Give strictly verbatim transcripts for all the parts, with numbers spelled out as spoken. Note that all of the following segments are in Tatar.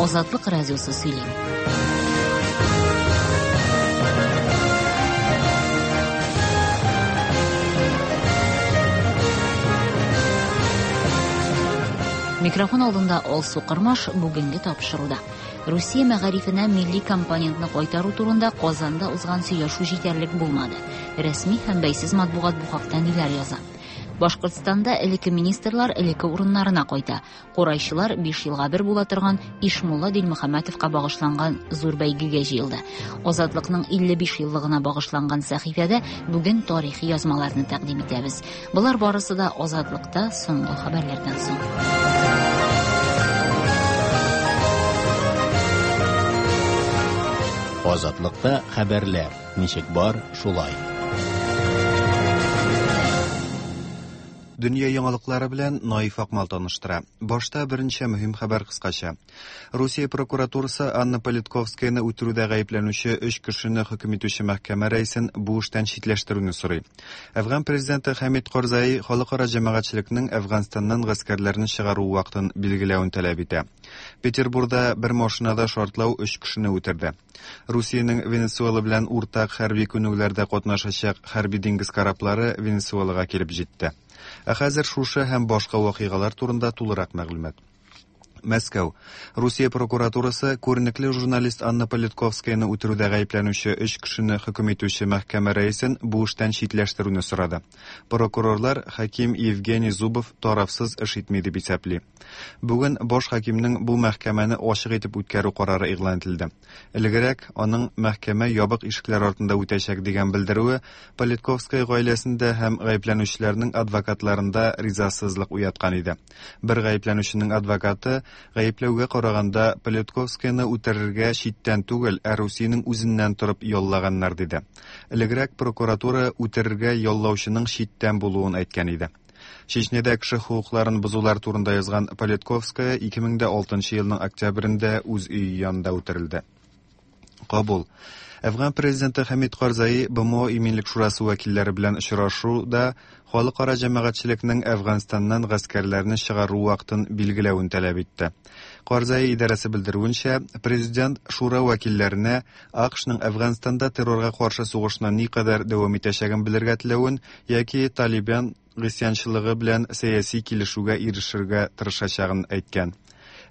Азатлык радиосы сөйли. Микрофон алдында Алсу Кырмаш бүгенге тапшыруда. Русия мәгарифенә милли компонентны кайтару турында Казанда узган сөйләшү җитәрлек булмады. Рәсми һәм бәйсез матбугат бу хакта ниләр яза? Башкортстанда элекке министрлар элекке урыннарына кайта. Курайчылар биш елга бер була торган Ишмулла Дилмөхәммәтовка багышланган зур бәйгегә җыелды. Азатлыкның илле биш еллыгына багышланган сәхифәдә бүген тарихи язмаларны тәкъдим итәбез. Болар барысы да Азатлыкта соңгы хәбәрләрдән соң. Азатлыкта хәбәрләр ничек бар, шулай. Дөнья яңалыклары белән Наиф Акмал таныштыра. Башта берничә мөһим хәбәр кыскача. Русия прокуратурасы Анна Политковскаяны үтерүдә гаепләнүче өч кешене хөкем итүче мәхкәмә рәисен бу эштән читләштерүне сорый. Әфган президенты Хәмид Карзаи халыкара җәмәгатьчелекнең Әфганстаннан гаскәрләрне чыгару вакытын билгеләвен таләп итә. Петербурда бер машинада шартлау өч кешене үтерде. Русиянең Венесуэла белән уртак хәрби күнегүләрдә катнашачак хәрби диңгез кораблары Венесуэлага килеп җитте. Ә хәзер шушы һәм башка вакыйгалар турында тулырак мәгълүмат. Мәскәү. Русия прокуратурасы күренекле журналист Анна Политковскаяны үтерүдә гаепләнүче өч кешене хөкем итүче мәхкәмә рәисен бу эштән читләштерүне сорады. Прокурорлар хаким Евгений Зубов тарафсыз эш итми дип исәпли. Бүген баш хакимнең бу мәхкәмәне ачык итеп үткәрү карары игълан ителде. Элегрәк аның мәхкәмә ябык ишекләр артында үтәчәк дигән белдерүе Политковская гаиләсендә һәм гаепләнүчеләрнең адвокатларында ризасызлык уяткан иде. Бер гаепләнүченең адвокаты гаепләүгә караганда Политковскаяны үтерергә читтән түгел, ә Русиянең үзеннән торып яллаганнар диде. Элегрәк прокуратура үтерергә яллаучының читтән булуын әйткән иде. Чечнядә кеше хокукларын бозулар турында язган Политковская ике мең дә алтынчы елның октябрендә үз өе янында үтерелде. Кабул. Әфган президенты Хәмид Карзаи Б М О Иминлек шурасы вәкилләре белән очрашуда халыкара җәмәгатьчелекнең Әфганстаннан гаскәрләрне чыгару вакытын билгеләвен таләп итте. Карзаи идарәсе белдерүенчә, президент шура вәкилләренә А К Шның Әфганстанда террорга каршы сугышны никадәр дәвам итәчәген белергә теләвен яки Талибан гыйсьянчылыгы белән сәяси килешүгә ирешергә тырышачагын әйткән.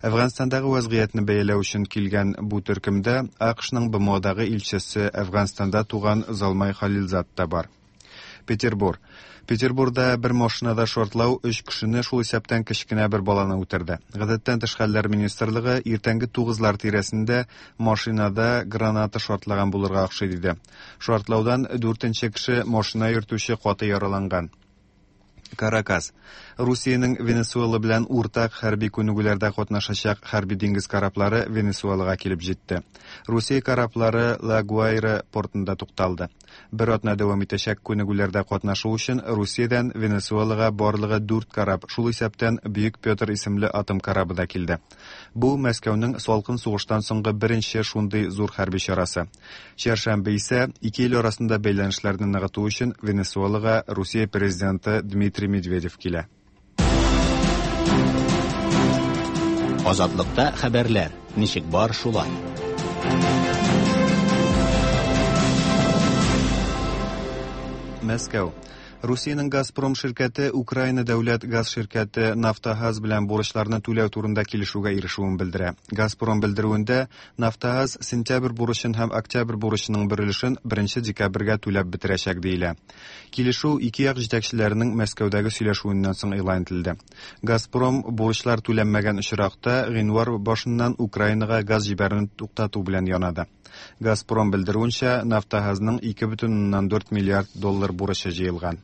Әфганстандагы вазгыятьне бәяләү өчен килгән бу төркемдә А К Шның Б М Одагы илчесе Әфганстанда туган Залмай Халилзад та бар. Петербур. Петербурда бер машинада шартлау өч кешене, шул исәптән кечкенә бер баланы үтерде. Гадәттән тыш хәлләр министрлыгы иртәнге тугызлар тирәсендә машинада граната шартлаган булырга охшый диде. Шартлаудан дүртенче кеше машина йөртүче каты яраланган. Каракас. Русиянең Венесуэла белән уртак хәрби күнегүләрдә катнашачак хәрби диңгез кораблары Венесуэлага килеп җитте. Русия кораблары Ла Гуайра портында тукталды. Бер атна дәвам итәчәк күнегүләрдә катнашу өчен Русиядән Венесуэлага барлыгы дүрт кораб, шул исәптән Бөек Петр исемле атом корабы да килде. Бу Мәскәүнең салкын сугыштан соңгы беренче шундый зур хәрби чарасы. Чәршәмбе исә ике ил арасында бәйләнешләрне ныгыту өчен Венесуэлага Русия президенты Дмитрий Медведев килә. Азатлыкта хәбәрләр ничек бар, шулай. Мәскәү. Русиянең Газпром ширкәте Украина дәүләт газ ширкәте Нафтогаз белән бурычларны түләү турында килешүгә ирешүен белдерә. Газпром белдерүендә Нафтогаз сентябрь бурычын һәм октябрь бурычының бер өлешен беренче декабрьгә түләп бетерәчәк диелә. Килешү ике як җитәкчеләренең Мәскәүдәге сөйләшүеннән соң игълан ителде. Газпром бурычлар түләнмәгән очракта гыйнвар башыннан Украинага газ җибәрүне туктату белән янады. Газпром белдерүенчә, Нафтогазның ике бөтен уннан дүрт миллиард доллар бурычы җыелган.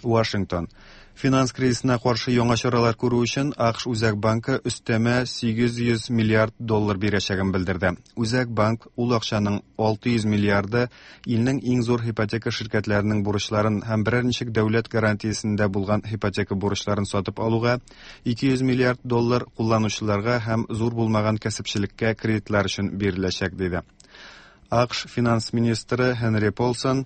Вашингтон. Финанс кризисына каршы яңа чаралар күрү өчен А К Ш Үзәк банкы өстәмә сигез йөз миллиард доллар бирәчәген белдерде. Үзәк банк ул акчаның алты йөз миллиарды илнең иң зур ипотека ширкәтләренең бурычларын һәм берәр ничек дәүләт гарантиясендә булган ипотека бурычларын сатып алуга, ике йөз миллиард доллар кулланучыларга һәм зур булмаган кәсепчелеккә кредитлар өчен биреләчәк, диде. А К Ш финанс министры Хенри Полсон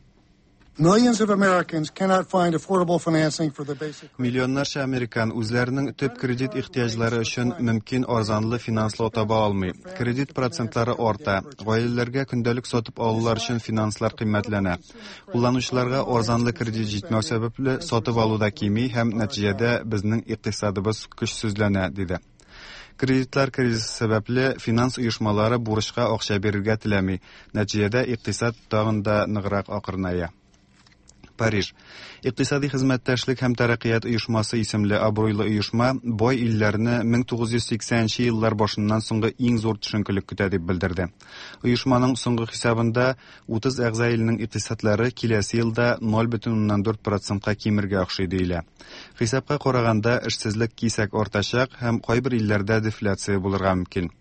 Millions of Americans cannot find affordable financing for the basic. Миллионнарча американ үзләренең төп кредит ихтыяҗлары өчен мөмкин арзанлы финанслау таба алмый. Кредит процентлары арта, гаиләләргә көндәлек сатып алулар өчен финанслар кыйммәтләнә. Кулланучыларга арзанлы кредит җитмәү сәбәпле сатып алу да кими һәм нәтиҗәдә безнең икътисадыбыз көчсезләнә, диде. Кредитлар кризисы сәбәпле финанс оешмалары бурычка акча бирергә теләми. Нәтиҗәдә икътисад тагын да ныграк акрыная. Париж. Икътисади хезмәттәшлек һәм тәрәккыят оешмасы исемле абруйлы оешма бай илләрне мең тугыз йөз сиксәненче еллар башыннан соңгы иң зур төшенкелек көтә дип белдерде. Оешманың соңгы хисабында утыз әгъза илнең икътисадлары киләсе елда ноль бөтен уннан дүрт процентка кимергә охшый диелә. Хисапка караганда эшсезлек кисәк артачак һәм кайбер илләрдә дефляция булырга мөмкин.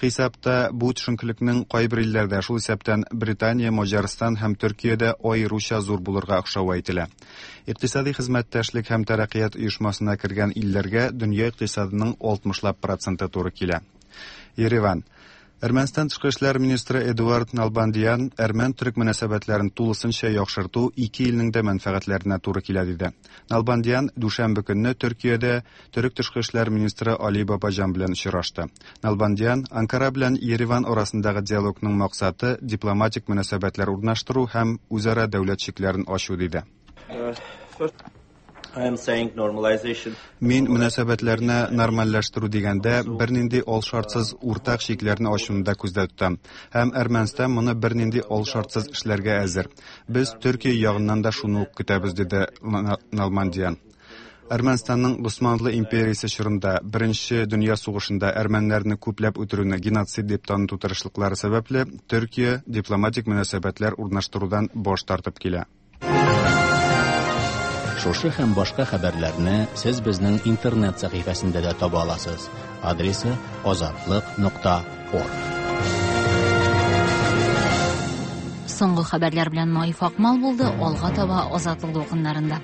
Хисапта бу төшенкелекнең кайбер илләрдә, шул исәптән Британия, Маҗарстан һәм Төркиядә аеруча зур булырга охшавы әйтелә. Икътисади хезмәттәшлек һәм тәрәккыят оешмасына кергән илләргә дөнья икътисадының алтмышлап проценты туры килә. Ереван. Әрмәнстан тышкы эшләр министры Эдуард Налбандиян әрмән-төрек мөнәсәбәтләрен тулысынча яхшырту ике илнең дә мәнфәгатьләренә туры килә диде. Налбандиян дүшәмбе көнне Төркиядә төрек тышкы эшләр министры Али Бабаҗан белән очрашты. Налбандиян Анкара белән Ереван арасындагы диалогның максаты дипломатик мөнәсәбәтләр урнаштыру һәм үзара дәүләт чикләрен ачу диде. I am saying normalization. Мин мөнәсәбәтләрне нормальләштерү дигәндә бернинди алшартсыз уртак чикләрне ачуны да күздә тотам. Һәм Әрмәнстан моны бернинди алшартсыз эшләргә әзер. Без Төркия ягыннан да шуны ук көтәбез, диде Налбандиян. Әрмәнстанның Госманлы империясе чорында Беренче дөнья сугышында әрмәннәрне күпләп үтерүне геноцид дип таныту тырышлыклары сәбәпле Төркия дипломатик мөнәсәбәтләр урнаштырудан баш тартып килә. Шушы һәм башка хәбәрләрне сез безнең интернет сәхифәсендә дә таба аласыз. Адресы азатлык нокта орг. Соңгы хәбәрләр белән Наиф Акмал булды, алга таба Азатлык дулкыннарында.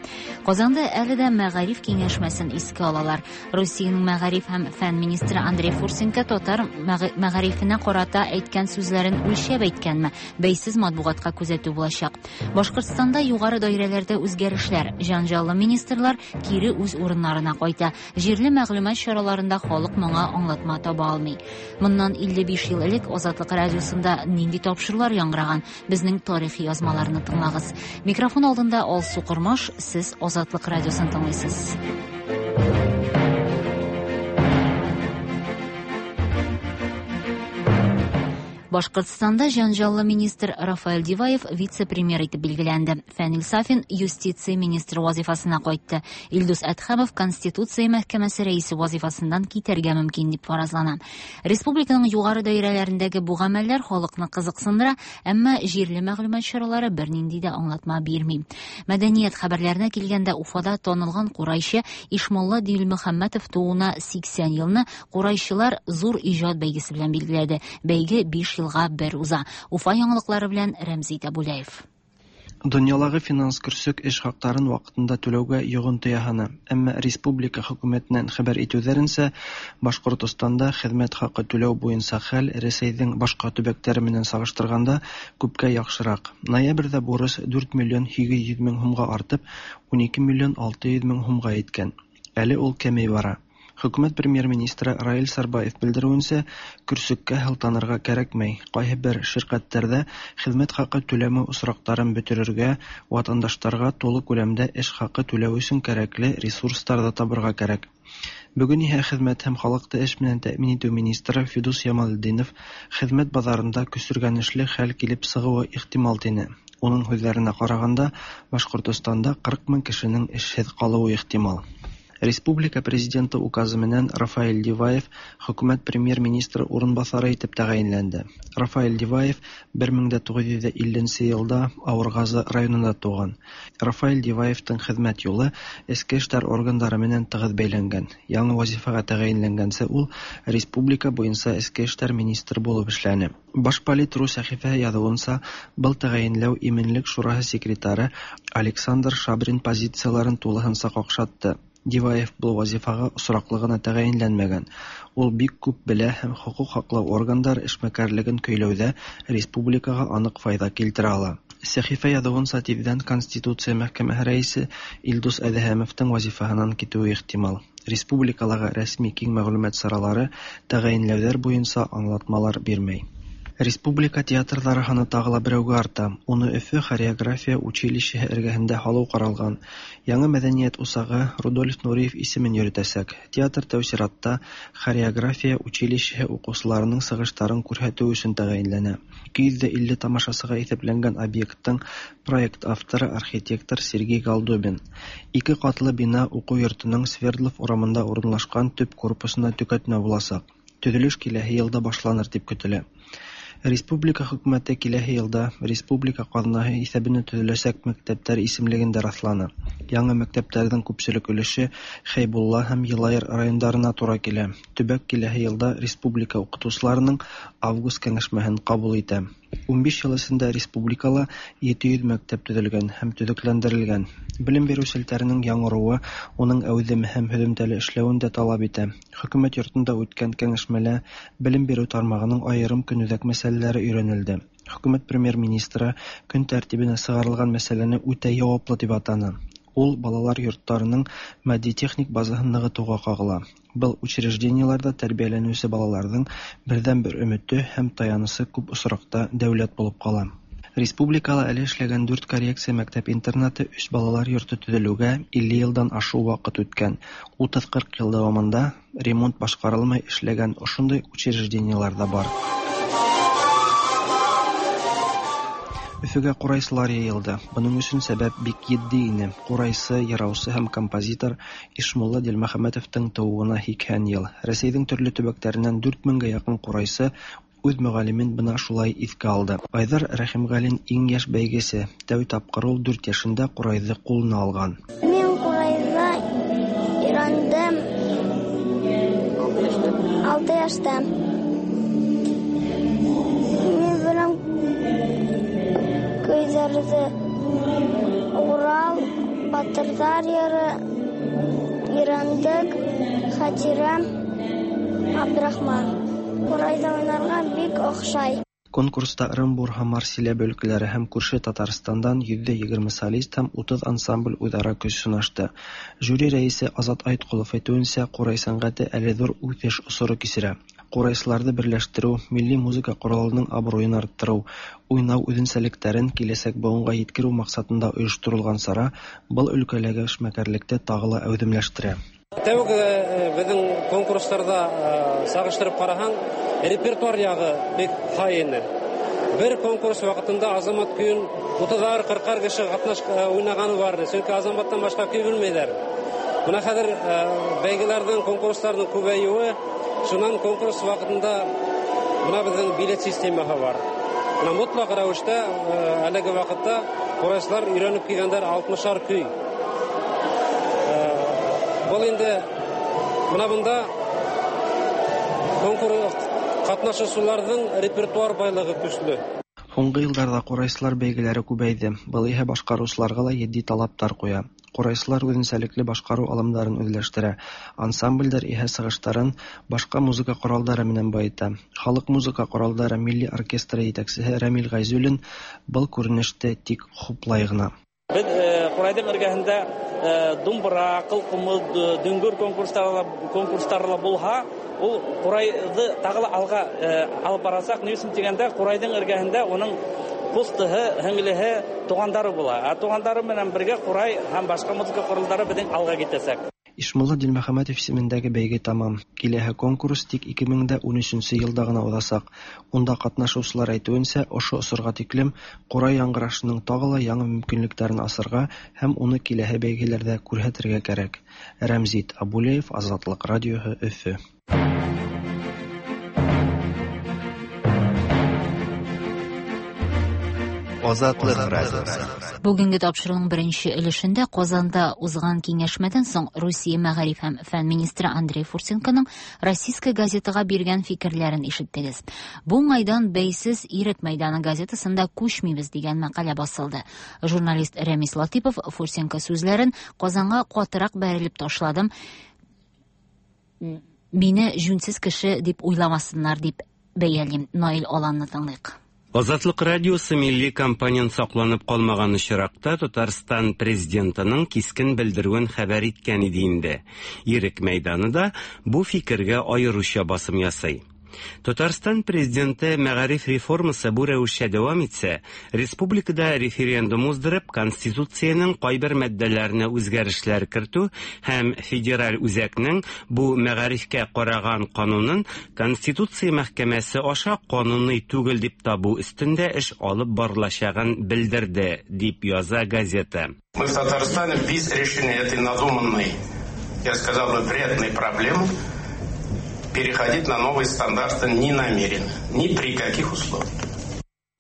Казанда әле дә мәгариф киңәшмәсен искә алалар. Русиянең мәгариф һәм фән министры Андрей Фурсенко татар мәгарифенә карата әйткән сүзләрен үлчәп әйткәнме? Бәйсез матбугатка күзәтү булачак. Башкортстанда югары даирәләрдә үзгәрешләр, җанҗаллы министрлар кире үз урыннарына кайта. Җирле мәгълүмат чараларында халык моңа аңлатма таба алмый. Моннан илле биш ел элек Азатлык радиосында нинди тапшырулар яңгыраган? Безнең тарихи язмаларны тыңлагыз. Микрофон алдында Алсу Кормаш, сез Азатлык радиосын тыңлыйсыз. Башкортстанда җанҗаллы министр Рафаэль Диваев вице-премьер итеп билгеләнде. Фәнил Сафин юстиция министры вазифасына кайтты. Илдус Әдһәмов Конституция мәхкәмәсе рәисе вазифасыннан китәргә мөмкин дип фаразлана. Республиканың югары даирәләрендәге бу гамәлләр халыкны кызыксындыра, әмма җирле мәгълүмат чаралары бернинди дә аңлатма бирми. Мәдәният хәбәрләренә килгәндә, Уфада танылган курайчы Ишмулла Дилмөхәммәтов тууына сиксән елны курайчылар зур иҗат бәйгесе белән билгеләде. Бәйге биш елга бер уза. Уфа яңалыклары белән Рәмзи Табулаев. Дөньялагы финанс көрсөк эш хакларын вакытында түләүгә йогынты яһаны. Әмма республика хөкүмәтеннән хәбәр итүләренсә, Башкортостанда хезмәт хакы түләү буенча хәл Рәсәйнең башка төбәкләре менән чагыштырганда күпкә яхшырак. Ноябрьдә бурыч дүрт миллион һигез йөз мең һумга артып, унике миллион алты йөз мең һумга еткән. Әле ул кәмей бара. Хөкүмәт премьер-министры Раил Сарбаев белдерүенсә, көрсөккә һылтанырга кәрәкмәй. Кайһы бер ширкәтләрдә хезмәт хакы түләмәү очракларын бетерергә, ватандашларга тулы күләмдә эш хакы түләү өчен кәрәкле ресурслар да табырга кәрәк. Бүген иһә хезмәт һәм халыкты эш менән тәэмин итү министры Фидус Ямалетдинов хезмәт базарында көсөргәнешле хәл килеп чыгуы ихтимал тине. Уның һүҙҙәренә ҡарағанда, Башҡортостанда ҡырҡ мең кешенең эшһеҙ ҡалыуы ихтимал. Республика президенты указы менән Рафаэль Диваев хөкүмәт премьер-министры урынбаҫары итеп тәғәйенләнде. Рафаэль Диваев бер мең дә туғыҙ йөҙ илленсе йылда Ауырғазы районында тыуған. Рафаэль Диваевтың хеҙмәт юлы эске эштәр органдары менән тығыҙ бәйләнгән. Яңы вазифаға тәғәйенләнгәнсе ул республика буйынса эске эштәр министры булып эшләне. Башполит ру сәхифәһе яҙыуынса, был тәғәйенләү Именлек шураһы секретары Александр Шабрин позицияларын тулыһынса ҡаҡшатты. Диваев был вазифаға осраҡлы ғына тәғәйенләнмәгән. Ул бик күп белә һәм хоҡуҡ һаҡлау органдары эшмәкәрлеген көйләүҙә республикаға аныҡ файҙа килтерә ала. Сәхифә яҙыуынса, тиҙҙән Конституция мәхкәмәһе рәйесе Илдус Әҙһәмовтың вазифаһынан китеүе ихтимал. Республикалағы рәсми киң мәғлүмәт саралары тәғәйенләүҙәр буйынса аңлатмалар бирмәй. Республика театрҙары һаны тағы ла берәүгә арта. Уны Өфө хореография училищеһы эргәһендә һалыу ҡаралған. Яңы мәҙәниәт усағы Рудольф Нуриев исемен йөрөтәсәк. Театр тәү сиратта хореография училищеһы уҡыусыларының сығыштарын күрһәтеү өсөн тәғәйенләнә. Ике йөҙ илле тамашасыға иҫәпләнгән объекттың проект авторы архитектор Сергей Голдобин. Ике ҡатлы бина уҡыу йортоноң Свердлов урамында урынлашҡан төп корпусына төкәтмә буласаҡ. Төҙөлөш киләһе йылда башланыр тип көтөлә. Республика хөкүмәте киләһе йылда республика ҡаҙнаһы иҫәбенә төҙөләсәк мәктәптәр исемлеген дә раҫланы. Яңы мәктәптәрҙең күпселек өлөшө Хәйбулла һәм Йылайыр райондарына тура килә. Төбәк киләһе йылда республика уҡытыусыларының август кәңәшмәһен ҡабул итә. Ун биш йыл эсендә республикала ете йөҙ мәктәп төҙөлгән һәм төҙөкләндерелгән. Белем биреү селтәренең яңырыуы уның әүҙем һәм һөҙөмтәле эшләүен дә талап итә. Хөкүмәт йортонда үткән кәңәшмәлә белем биреү тармағының айырым көнүҙәк мәсьәләләре өйрәнелде. Хөкүмәт премьер-министры көн тәртибенә сығарылған мәсьәләне үтә яуаплы тип атаны. Ул балалар йорттарының матди-техник базаһын нығытыуға ҡағыла. Был учреждениеларҙа тәрбиәләнеүсе балаларҙың берҙән-бер өмөтө һәм таянысы күп осраҡта дәүләт булып ҡала. Республикала әле эшләгән дүрт коррекция мәктәп-интернаты, өс балалар йорто төҙөлөүгә илле йылдан ашыу ваҡыт үткән. Утыҙ-ҡырҡ йыл дауамында ремонт башҡарылмай эшләгән ошондай учреждениелар ҙа бар. Өфөгә ҡурайсылар йыйылды. Бының өсөн сәбәп бик етди ине. Ҡурайсы, йыраусы һәм композитор Ишмулла Дилмөхәмәтовтың тыуыуына һикһән йыл. Рәсәйҙең төрлө төбәктәренән дүрт меңгә яҡын ҡурайсы үҙ мөғәллимен бына шулай иҫкә алды. Айҙар Рәхимғәлин иң йәш бәйгесе. Тәү тапҡыр ул дүрт йәшендә ҡурайҙы ҡулына алған. Мин ҡурайҙа өйрәндем алты йәштә. Мин беләм көйҙәрҙе: Урал, Батырҙар йыры, Ирәндек, Хәтирә, Абдрахман. Ҡурайҙа уйнарға бик оҡшай. Конкурста Ырымбур һәм Марсиләбе өлкәләре һәм күрше Татарстандан йөҙҙә егерме солист һәм утыҙ ансамбль үҙ-ара көс һынашты. Жюри рәйесе Азат Айтҡолов әйтеүенсә, ҡурай сәнғәте әле ҙур үҫеш осоро кисерә. Ҡурайсыларҙы берләштереү, милли музыка ҡоралының абруйын арттырыу, уйнау үҙенсәлектәрен киләсәк быуынға еткереү маҡсатында ойошторолған сара был өлкәләге эшмәкәрлекте тағы ла әүҙемләштерә. Тәүге беҙҙең конкурстарҙа сағыштырып ҡараһаң, репертуар яғы бик һай ине. Бер конкурс ваҡытында Азамат көйөн утыҙар, ҡырҡар кеше ҡатнаш уйнағаны бар ине. Сөнки Азаматтан башҡа көй белмәйҙәр. Бына хәҙер бәйгеләрҙең, конкурстарҙың күбәйеүе, шунан конкурс ваҡытында бына беҙҙең билет системаһы бар. Бына мотлаҡ рәүештә әлеге ваҡытта ҡурайсылар өйрәнеп килгәндәр алтмышар көй. Был инде бына бында конкурс ҡатнашыусыларҙың репертуар байлығы көслө. Һуңғы йылдарҙа ҡурайсылар бәйгеләре күбәйҙе. Был иһә башҡарыусыларға ла етди талаптар ҡуя. Ҡурайсылар үҙенсәлекле башҡарыу алымдарын үҙләштерә. Ансамблдәр иһә сығыштарын башҡа музыка ҡоралдары менән байыта. Халыҡ музыка ҡоралдары милли оркестры етәксеһе Рәмил Ғәйзуллин был күренеште тик хуплай ғына. Беҙ ҡурайҙың эргәһендә думбыра, ҡылҡумыҙ, дөңгөр конкурстары конкурстары ла булһа, ул ҡурайҙы тағы ла алға алып барасаҡ. Ни өсөн тигәндә, ҡурайҙың эргәһендә уның ҡустыһы, һеңлеһе, туғандары була. Ә туғандары менән бергә ҡурай һәм башҡа музыка ҡоралдары беҙҙең алға китәсәк. Ишмулла Дилмөхәмәтов исемендәге бәйге тамам. Киләһе конкурс тик ике мең дә ун өсөнсө йылда ғына уҙасаҡ. Унда ҡатнашыусылар әйтеүенсә, ошо осорға тиклем ҡурай яңғырашының тағы ла яңы мөмкинлектәрен асырға һәм уны киләһе бәйгеләрҙә күрһәтергә кәрәк. Рәмзит Абулеев, Азатлыҡ радиоһы, Өфө. Азатлык радиосы. Бүгенге тапшыруның беренче өлешендә Казанда узган киңәшмәдән соң Русия мәгариф һәм фән министры Андрей Фурсенконың Российская газетаға биргән фикерләрен ишеттегез. Бу уңайдан Бәйсез Ирек мәйданы газетасында күчмибез дигән мәкалә басылды. Журналист Рәмис Латипов Фурсенко сүзләрен Казанга катырак бәрелеп ташладым. Мине җүнсез кеше дип уйламасыннар дип бәялим. Наил Аланны тыңлыйк. Азатлык радиосы милли компонент сакланып калмаган очракта Татарстан президентының кискен белдерүен хәбәр иткән иде инде. Ирек мәйданы да бу фикергә аеруча басым ясый. Татарстан президенты мәгариф реформасы бу рәвешчә дәвам итсә, республикада референдум уздырып, конституциянең кайбер маддәләренә үзгәрешләр кертү һәм федераль үзәкнең бу мәгарифкә караган канунын Конституция мәхкәмәсе аша кануни түгел дип табу өстендә эш алып барылачагын белдерде, дип яза газета. Мы в Татарстане без решения этой надуманной, я сказал бы, вредной проблемы переходить на новые стандарты не намерены, ни при каких условиях.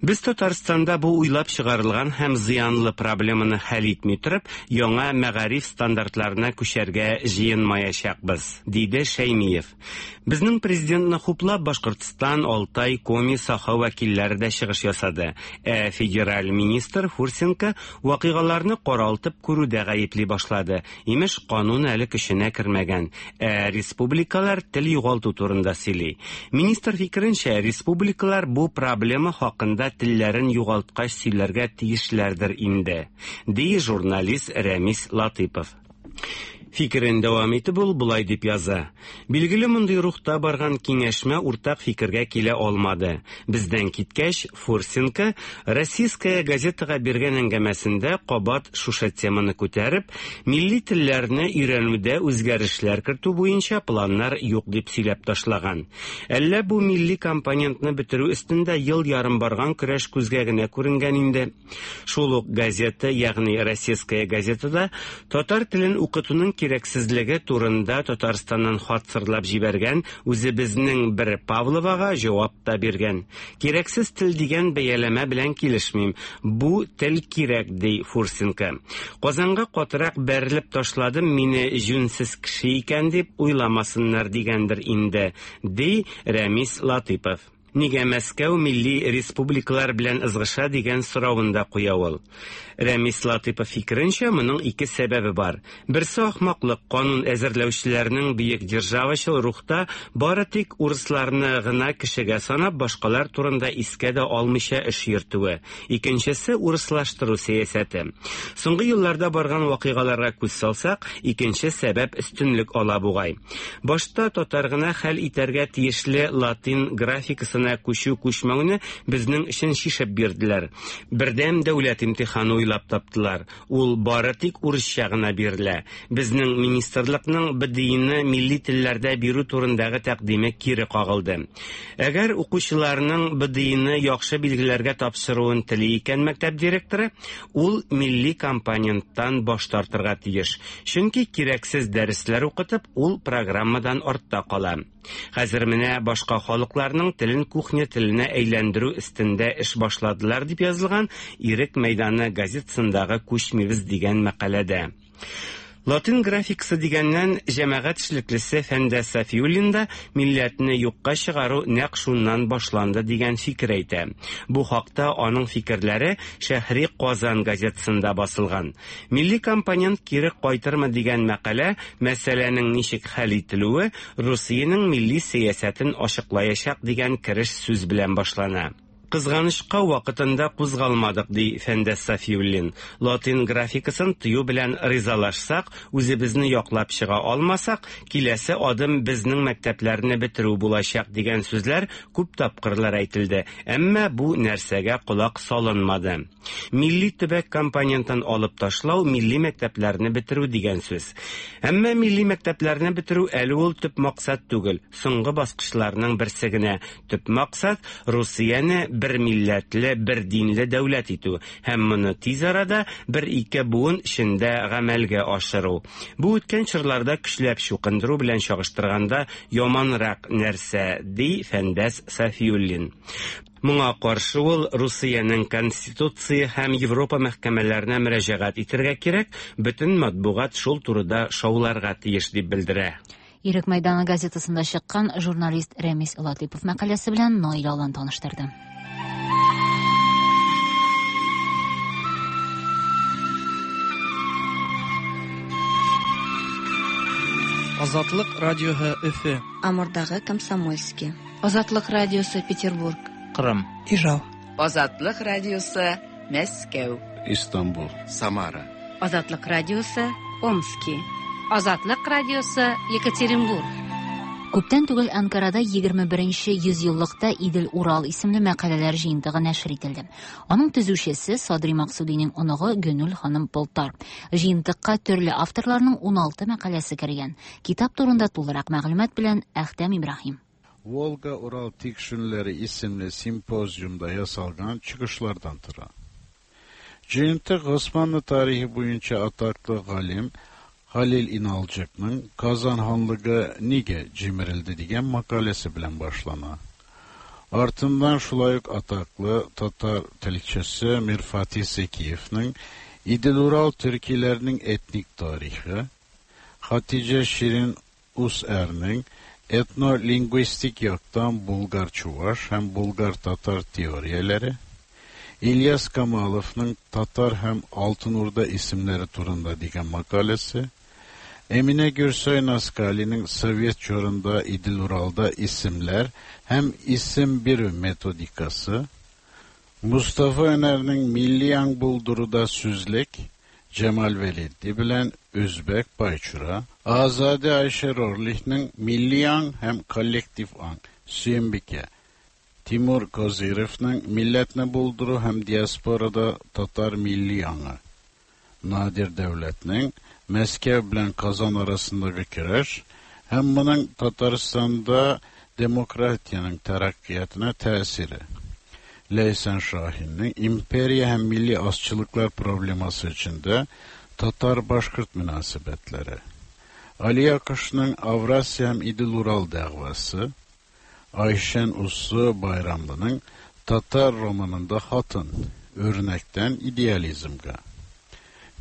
Без Татарстанда бу уйлап чыгарылган һәм зыянлы проблеманы хәл итми торып, яңа мәгариф стандартларына күчәргә җыенмаячакбыз, диде Шәймиев. Безнең президентны хуплап Башкортстан, Алтай, Коми, Саха вәкилләре дә чыгыш ясады. Ә федераль министр Фурсенко вакыйгаларны каралтып күрүдә гаепли башлады. Имеш, канун әле көченә кермәгән. Ә республикалар тел югалту турында сөйли. Министр фикеренчә, республикалар бу проблема хакында телләрен югалткач сөйләргә тиешләрдер инде, ди журналист Рәмис Латыпов. Фикерен дәвам итеп ул болай дип яза. Билгеле мондый рухта барган киңәшмә уртак фикергә килә алмады. Бездән киткәч, Фурсенко Российская газетага биргән әңгәмәсендә кабат шушы теманы күтәреп, милли телләрне өйрәнүдә үзгәрешләр кертү буенча планнар юк дип сөйләп ташлаган. Әллә бу милли компонентны бетерү өстендә ел ярым барган көрәш күзгә генә күренгән инде. Шул ук газета, ягъни Российская газетада татар телен укытуның кирәксезлеге турында Татарстаннан хат сырлап җибәргән үзебезнең бер Павловага җавап та биргән. Кирәксез тел дигән бәяләмә белән килешмим. Бу тел кирәк, ди Фурсенко. Казанга катырак бәрелеп ташладым, мине җүнсез кеше икән дип уйламасыннар дигәндер инде, ди Рәмис Латыпов. Нигә Мәскәү милли республикалар белән ызгыша дигән соравын да куя ул. Рәмис Латыпов фикеренчә, моның ике сәбәбе бар. Берсе ахмаклык, канун әзерләүчеләрнең бөек державачыл рухта бары тик урысларны гына кешегә санап, башкалар турында искә дә алмыйча эш йөртүе. Икенчесе урыслаштыру сәясәте. Соңгы елларда барган вакыйгаларга күз салсак, икенче сәбәп өстенлек ала бугай. Башта татар гына хәл итәргә тиешле латин графикасына күчү-күчмәүне безнең өчен шишеп бирделәр. Бердәм дәүләт имтиханы уйлап таптылар. Ул бары тик урысча гына бирелә. Безнең министрлыкның БДИны милли телләрдә бирү турындагы тәкъдиме кире кагылды. Әгәр укучыларның БДИны яхшы билгеләргә тапшыруын тели икән мәктәп директоры, ул милли компоненттан баш тартырга тиеш. Чөнки кирәксез дәресләр укытып, ул программадан артта кала. Хәзер менә башка халыкларның телен кухня теленә әйләндерү өстендә эш башладылар дип язылган Ирек мәйданы газетасындагы күчмибез дигән мәкаләдә. Латин графикасы дигәннән җәмәгать эшлеклесе Фәндәс Сафиуллин да милләтне юкка чыгару нәкъ шуннан башланды дигән фикер әйтә. Бу хакта аның фикерләре Шәһри Казан газетасында басылган. Милли компонент кире кайтырмы дигән мәкалә мәсьәләнең ничек хәл ителүе Русиянең милли сәясәтен ачыклаячак дигән кереш сүз белән башлана. Кызганычка вакытында кузгалмадык, ди Фәндәс Сафиуллин. Латин графикасын тыю белән ризалашсак, үзебезне яклап чыга алмасак, киләсе адым безнең мәктәпләрне бетерү булачак дигән сүзләр күп тапкырлар әйтелде. Әмма бу нәрсәгә колак салынмады. Милли төбәк компонентын алып ташлау милли мәктәпләрне бетерү дигән сүз. Әмма милли мәктәпләрне бетерү әле ул төп максат түгел, соңгы баскычларның берсе генә. Төп максат Русияне бер милләтле, бер динле дәүләт итү һәм моны тиз арада бер-ике буын эчендә гамәлгә ашыру. Бу үткән чорларда көчләп чукындыру белән чагыштырганда яманрак нәрсә, ди Фәндәс Сафиуллин. Моңа каршы ул Русиянең Конституция һәм Европа мәхкәмәләренә мөрәҗәгать итәргә кирәк, бөтен матбугат шул турыда шауларга тиеш дип белдерә. Ирек мәйданы газетасында чыккан журналист Рәмис Латыпов мәкаләсе белән Наил Алан таныштырды. Азатлык радиоһы Өфе. Амурдагы Комсомольский. Азатлык радиосы Петербург. Кырым. Ижау. Азатлык радиосы, Мәскәү. Истанбул. Самара. Азатлык радиосы, Омски. Азатлык радиосы, Екатеринбург. Күптән түгел Анкарада егерме беренче йөзьеллыкта Идел-Урал исемле мәкаләләр җыентыгы нәшер ителде. Аның төзүчесе Садри Максудиның оныгы Гөнүл ханым Полтар. Җыентыкка төрле авторларның уналты мәкаләсе кергән. Китап турында тулырак мәгълүмат белән Әхтәм Ибраһим. Волга-Урал Tikşünleri isimli simpozyumda yasalgan çıkışlardan tura. Җыентык Osmanlı tarihi boyunca ataklı galim Halil İnalcık'ның Kazan Hanlığı nige cimirildi digen makalesi bilen başlana. Артындан шулай ук атаклы татар телчесе Mir Fatih Sekiyev'nin İdil-Ural Türkilerinin etnik tarihi, Hatice Şirin User'nin etno-linguistik yaktan Bulgar-Çuvaş hem Bulgar-Tatar teoriyeleri, İlyas Kamalov'un Tatar hem Altın Urda isimleri turunda digen makalesi, Emine Gürsoy Naskali'nin Sovyet çorunda İdil-Ural'da isimler hem isim bir metodikası, Mustafa Öner'nin Milli Ang Bulduru'da Süzlek, Cemal Veliddi bilen Özbek Bayçura, Azade Ayşe Rorlich'nin Milli Ang hem Kollektif Ang, Süyümbike, Timur Kozirev'nin Milletne Bulduru hem Diaspora'da Tatar Milli Ang'ı, Nadir Devlet'nin Meskev bilen Kazan arasındaki küreş, hem bunun Tataristan'da demokratiyanın terakkiyatına tesiri. Leysen Şahin'in imperiya hem milli azçılıklar probleması içinde Tatar-Başkırt münasebetleri, Ali Yakış'ın Avrasya hem İdil-Ural davası, Ayşen Uslu Bayramlı'nın Tatar romanında Hatın, örnekten idealizmge.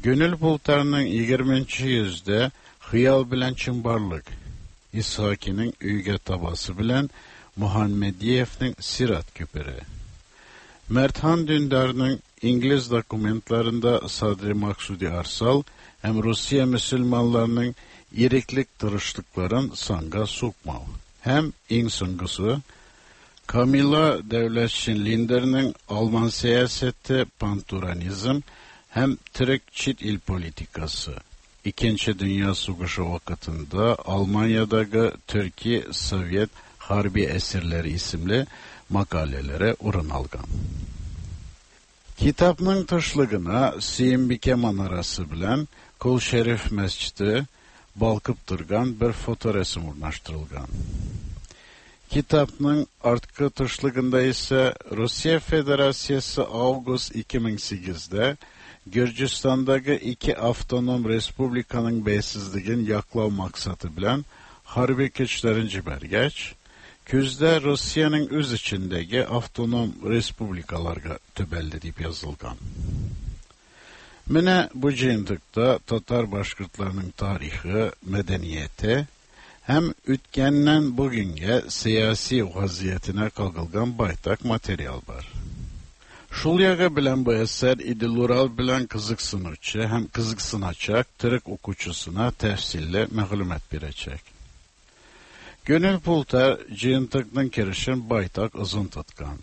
Gönül Pultar'ның yigirminchi yüzde Xiyal bilen Çimbarlık, İshaki'nin Üyge tabası bilen Muhammediyev'nin Sirat küpürü. Merthan Dündar'ın İngiliz dokumentlarında Sadri Maksudi Arsal hem Rusya Müslümanlarının iriklik tırışlıkların sanga sokmav. Hem en songusu Kamila Devletşin Linder'nin Alman siyaseti panturanizm hem Türk çit il politikası. İkinci Dünya Savaşı vakitinde Almanya'daki Türkiye Sovyet Harbi Esirleri isimli makalelere orun algan. Kitapның тышлыгына Сөембикә манарасы белән Кол Шәриф мәсҗиде балкып торган бер фоторәсем урнаштырылган. Kitapның арткы тышлыгында исә Россия Федерациясе август ике мең сигездә Gürcistan'daki iki avtonom respublikanın beysiz-ligen yaklav maksatı bilen harbi güçlerin cibergeç, küzde Rusya'nın öz içindeki avtonom respublikalarga töbeldi deyip yazılgan. Mine bu cıyıntıkta Tatar Başkırtlarının tarihi, medeniyeti, hem ütkenden bugünge siyasi vaziyetine kalkılgan baytak materyal var. Şul yağı bilen bu eser İdil-Ural bilen kızıksınıcı hem kızıksınacak Türk okuçusuna tefsille məğlumat birecek. Gönül Pultar cıyıntıkның kirişin baytak uzun tutkan.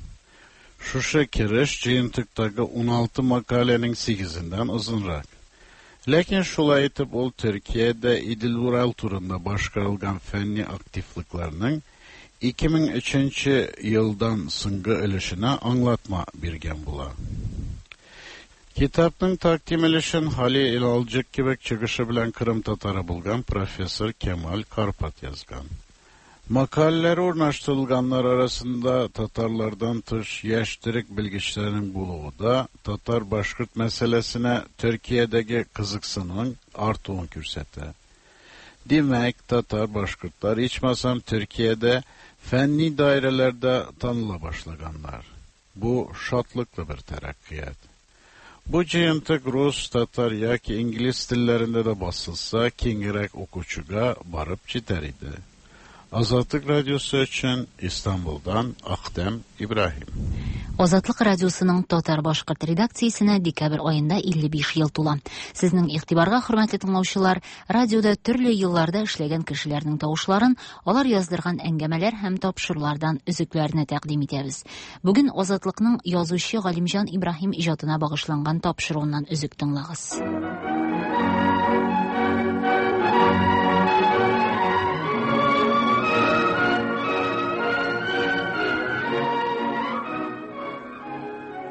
Şuşa kiriş cıyıntıktaki on altı makalenin sekizinden uzunrak. Lakin şulay etip ol Türkiye'de İdil-Ural turunda başkarılgan fenni aktifliklerinin iki ming üçüncü yıldan sıngı ölüşüne anlatma birgen bula. Kitapның takdim elişin Halil İnalcık gibi çıkışı bilen Kırım Tatarı bulgan Profesör Kemal Karpat yazgan. Makaleleri ornaştırılganlar arasında Tatarlardan tış yaş Türk bilgiçlerinin buluğu da Tatar Başkırt meselesine Türkiye'deki kızıksının artığın kürseti. Demek Tatar Başkırtlar içmasam Türkiye'de fenni dairelerde tanıla başlaganlar. Bu şatlıklı bir terakkiyat. Bu cıyıntık Rus, Tatar yaki İngiliz dillerinde de basılsa kengirek okuçuga barıp jiter idi. Azatlık Radyosu için İstanbul'dan Ahdem İbrahim. Азатлык радиосының татар-башкорт редакциясенә декабрь аенда илле биш ел тула. Сезнең игътибарга, хөрмәтле тыңлаучылар, радиода төрле елларда эшләгән кешеләрнең тавышларын, алар яздырган әңгәмәләр һәм тапшырулардан өзекләрне тәкъдим итәбез. Бүген Азатлыкның язучы Галимҗан Ибраһим иҗатына багышланган тапшыруыннан өзек тыңлагыз.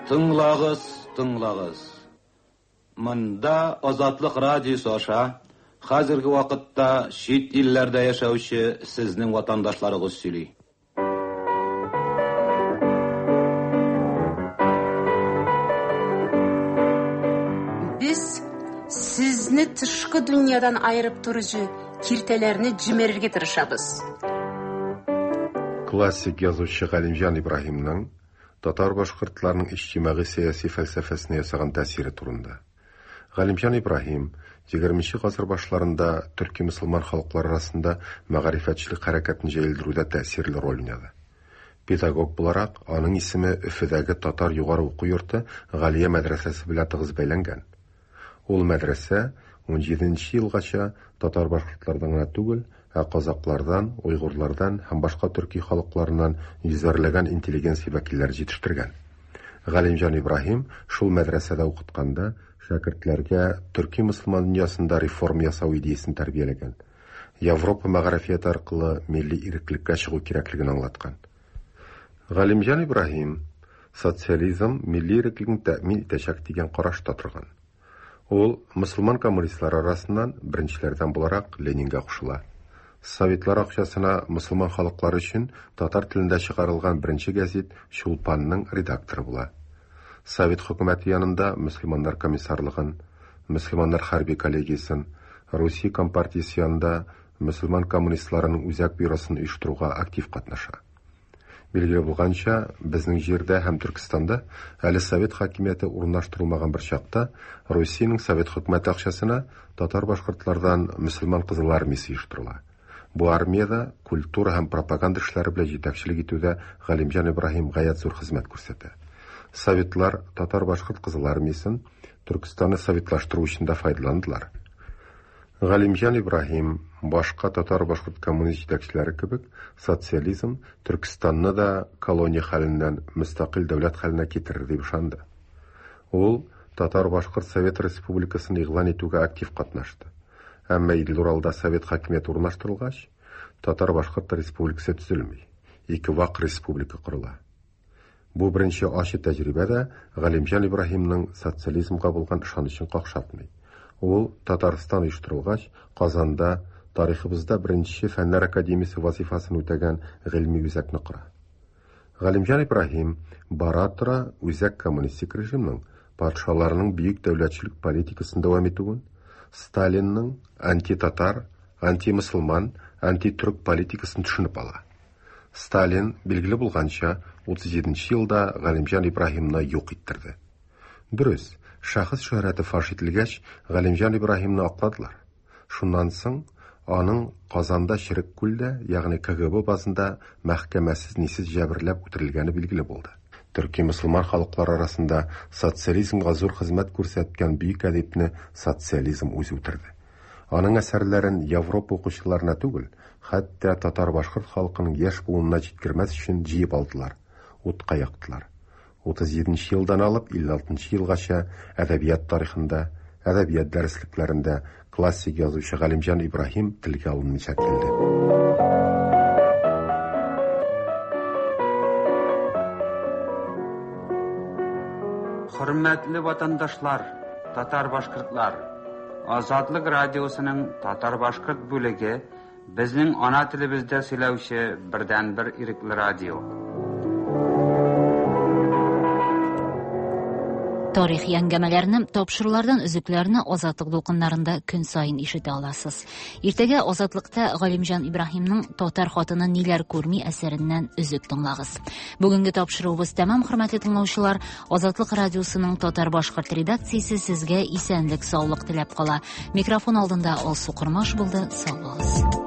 Тыңлагыз, тыңлагыз. Монда Азатлык радиосы аша хәзерге вакытта чит илләрдә яшәүче сезнең ватандашларыгыз сөйли. Без сезне тышкы дөньядан айырып торучы киртәләрне җимерергә тырышабыз. Классик язучы Галимҗан Ибраһимның татар башкортларының иҗтимагый сәяси фәлсәфәсенә ясаган тәэсире турында. Галимҗан Ибраһим егерменче гасыр башларында төрки мөселман халыклары арасында мәгарифәтчелек хәрәкәтен җәелдерүдә тәэсирле роль уйнады. Педагог буларак, аның исеме Өфедәге татар югары уку йорты Галия мәдрәсәсе белән тыгыз бәйләнгән. Ул мәдрәсә ун җиденче елгача татар башкортлардан гына түгел, ә казаклардан, уйгырлардан һәм башка төрки халыкларыннан йөзәрләгән интеллигенция вәкилләре җитештергән. Галимҗан Ибраһим шул мәдрәсәдә укытканда шәкертләргә төрки мөселман дөньясында реформа ясау идеясын тәрбияләгән. Европа мәгарифияте аркылы милли иреклеккә чыгу кирәклеген аңлаткан. Галимҗан Ибраһим социализм милли иреклекне тәэмин итәчәк дигән карашта торган. Ул мөселман коммунистлары арасыннан беренчеләрдән буларак Ленинга кушыла. Советлар акчасына мөселман халыклары өчен татар телендә чыгарылган беренче гәзит Чулпанның редакторы була. Совет хөкүмәте янында мөселманнар комиссарлыгын, мөселманнар хәрби коллегиясен, Русия компартиясе янында мөселман коммунистларының үзәк бюросын оештыруга актив катнаша. Билгеле булганча, безнең җирдә һәм Төркестанда әле совет хакимияте урнаштырылмаган бер чакта Русиянең совет хөкүмәте акчасына татар башкортлардан мөселман кызыл армиясе оештырыла. Бу армияда культура һәм пропаганда эшләре белән җитәкчелек итүдә Галимҗан Ибраһим гаять зур хезмәт күрсәтә. Советлар татар-башкорт кызыл армиясен Төркестанны советлаштыру өчен дә файдаландылар. Галимҗан Ибраһим башка татар-башкорт коммунист җитәкчеләре кебек социализм Төркестанны да колония хәленнән мөстәкыйль дәүләт хәленә китерер дип ышанды. Ул татар-башкорт Совет Республикасын игълан итүгә актив катнашты. Әмма Идел-Уралда совет хакимияте урнаштырылгач, татар-башкорт республикасы төзелми, ике вак республика корыла. Бу беренче ачы тәҗрибә дә Галимҗан Ибраһимның социализмга булган ышанычын какшатмый. Ул Татарстан оештырылгач, Казанда тарихыбызда беренче фәннәр академиясе вазифасын үтәгән гыйльми үзәкне кора. Галимҗан Ибраһим бара-тора үзәк коммунистик режимның патшаларының бөек дәүләтчелек политикасын дәвам итүен, Сталинның антитатар, антимөселман, антитүрк политикасын төшенеп ала. Сталин, билгеле булганча, утыз җиденче елда Галимҗан Ибраһимны юк иттерде. Дөрес, шәхес шөһрәте фаш ителгәч, Галимҗан Ибраһимны акладылар. Шуннан соң аның Казанда Черек күлдә, ягъни К Г Б базында мәхкәмәсез нисез җәберләп үтерелгәне билгеле булды. Төрки мөселман халыклары арасында социализмга зур хезмәт күрсәткән бөек әдипне социализм үзе үтерде. Аның әсәрләрен Европа укучыларына түгел, хәтта татар-башкорт халкының яшь буынына җиткермәс өчен җыеп алдылар, утка яктылар. Утыз җиденче елдан алып илле алтынчы елгача әдәбият тарихында, әдәбият дәреслекләрендә классик язучы Галимҗан Ибраһим телгә алынмыйча килде. Хөрмәтле ватандашлар, татар-башкортлар, Азатлык радиосының татар-башкорт бүлеге безнең ана телебездә сөйләүче бердәнбер ирекле радио. Тарихи әңгәмәләрне, тапшырулардан өзекләрне Азатлык дулкыннарында көн саен ишетә аласыз. Иртәгә Азатлыкта Галимҗан Ибраһимның Татар хатыны ниләр күрми әсәреннән өзек тыңлагыз. Бүгенге тапшыруыбыз тәмам, хөрмәтле тыңлаучылар. Азатлык радиосының татар-башкорт редакциясе сезгә исәнлек, саулык теләп кала. Микрофон алдында Алсу Кормаш булды. Сау булыгыз.